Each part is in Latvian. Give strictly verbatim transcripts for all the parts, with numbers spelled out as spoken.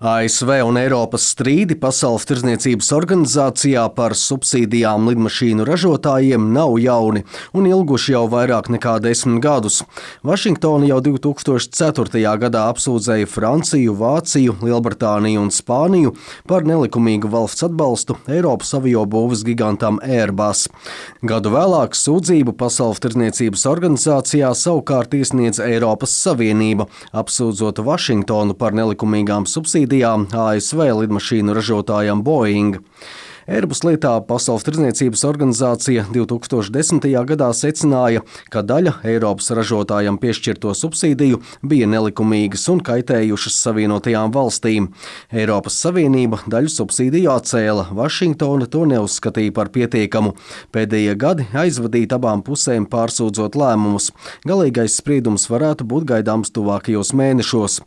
A S V un Eiropas strīdi Pasaules tirdzniecības organizācijā par subsīdijām lidmašīnu ražotājiem nav jauni un ilguši jau vairāk nekā desmit gadus. Vašingtona jau divi tūkstoši ceturtajā gadā apsūdzēja Franciju, Vāciju, Lielbritāniju un Spāniju par nelikumīgu valsts atbalstu Eiropas aviobūves gigantam Airbus. Gadu vēlāk sūdzību Pasaules tirdzniecības organizācijā savukārt iesniedz Eiropas Savienība, apsūdzot Vašingtonu par nelikumīgām subsīdijām A S V lidmašīnu ražotājam Boeing. Airbus lietā Pasaules tirdzniecības organizācija divi tūkstoši desmitajā gadā secināja, ka daļa Eiropas ražotājam piešķirto subsīdiju bija nelikumīgas un kaitējušas Savienotajām valstīm. Eiropas Savienība daļu subsīdiju atcēla, Vašingtona to neuzskatīja par pietiekamu. Pēdējie gadi aizvadīt abām pusēm pārsūdzot lēmumus. Galīgais spriedums varētu būt gaidāms tuvākajos mēnešos.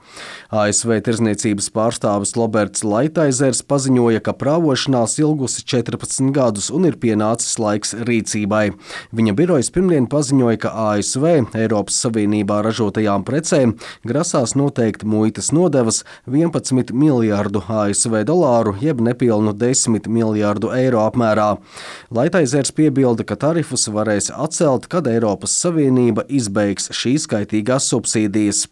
A S V tirdzniecības pārstāvis Roberts Laitaizers paziņoja, ka prāvošanās ilgus četrpadsmit gadus un ir pienācis laiks rīcībai. Viņa birojas pirmdien paziņoja, ka A S V Eiropas Savienībā ražotajām precēm grasās noteikt muitas nodevas vienpadsmit miljārdu A S V dolāru, jeb nepilnu desmit miljārdu eiro apmērā. Laitaizers piebilda, ka tarifus varēs atcelt, kad Eiropas Savienība izbeigs šīs kaitīgās subsīdijas.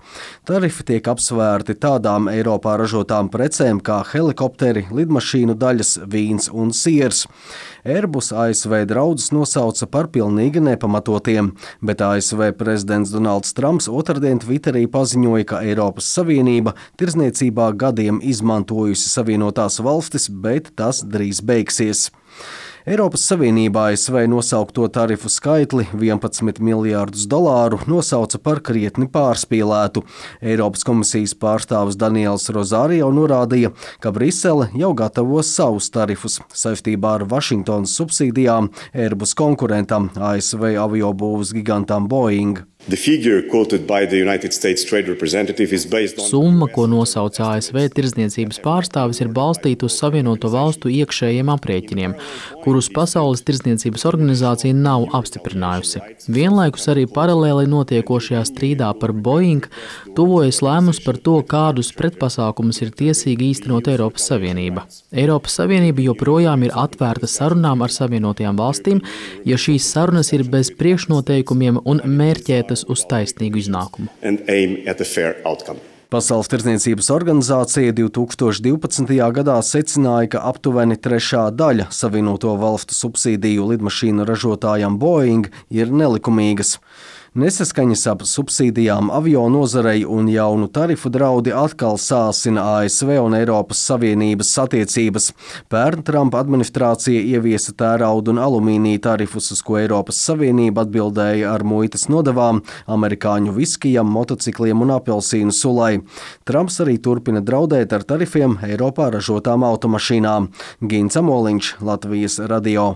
Tarifi tiek apsvērti tādām Eiropā ražotām precēm kā helikopteri, lidmašīnu daļas, vīns un siers. Airbus A S V draudus nosauca par pilnīgi nepamatotiem, bet A S V prezidents Donalds Trumps otrdien Twitterī paziņoja, ka Eiropas Savienība tirdzniecībā gadiem izmantojusi Savienotās valstis, bet tas drīz beigsies. Eiropas Savienībā A S V nosaukto tarifu skaitli vienpadsmit miljārdus dolāru nosauca par krietni pārspīlētu. Eiropas komisijas pārstāvis Daniels Rozārio norādīja, ka Brisele jau gatavos savus tarifus saistībā ar Vašingtonas subsīdijām Airbus konkurentam A S V aviobūves gigantam Boeing. Summa, ko nosauca A S V tirdzniecības pārstāvis, ir balstīta uz Savienoto valstu iekšējiem aprēķiniem, kurus Pasaules tirdzniecības organizācija nav apstiprinājusi. Vienlaikus arī paralēli notiekošajā strīdā par Boeing tuvojas lēmums par to, kādus pretpasākumus ir tiesīga īstenot Eiropas Savienība. Eiropas Savienība joprojām ir atvērta sarunām ar Savienotajām valstīm, ja šīs sarunas ir bez priekšnoteikumiem un mērķētas uz taisnīgu iznākumu. Pasaules tirdzniecības organizācija divi tūkstoši divpadsmitajā gadā secināja, ka aptuveni trešā daļa Savienoto valstu subsīdiju lidmašīnu ražotājam Boeing ir nelikumīgas. Nesaskaņas ap subsīdijām avio nozarei un jaunu tarifu draudi atkal sāsina A S V un Eiropas Savienības attiecības. Pērn Trumpa administrācija ieviesa tērauda un alumīnija tarifus, uz ko Eiropas Savienība atbildēja ar muitas nodevām amerikāņu viskijam, motocikliem un apelsīnu sulai. Trumps arī turpina draudēt ar tarifiem Eiropā ražotām automašīnām. Gins Amoliņš, Latvijas radio.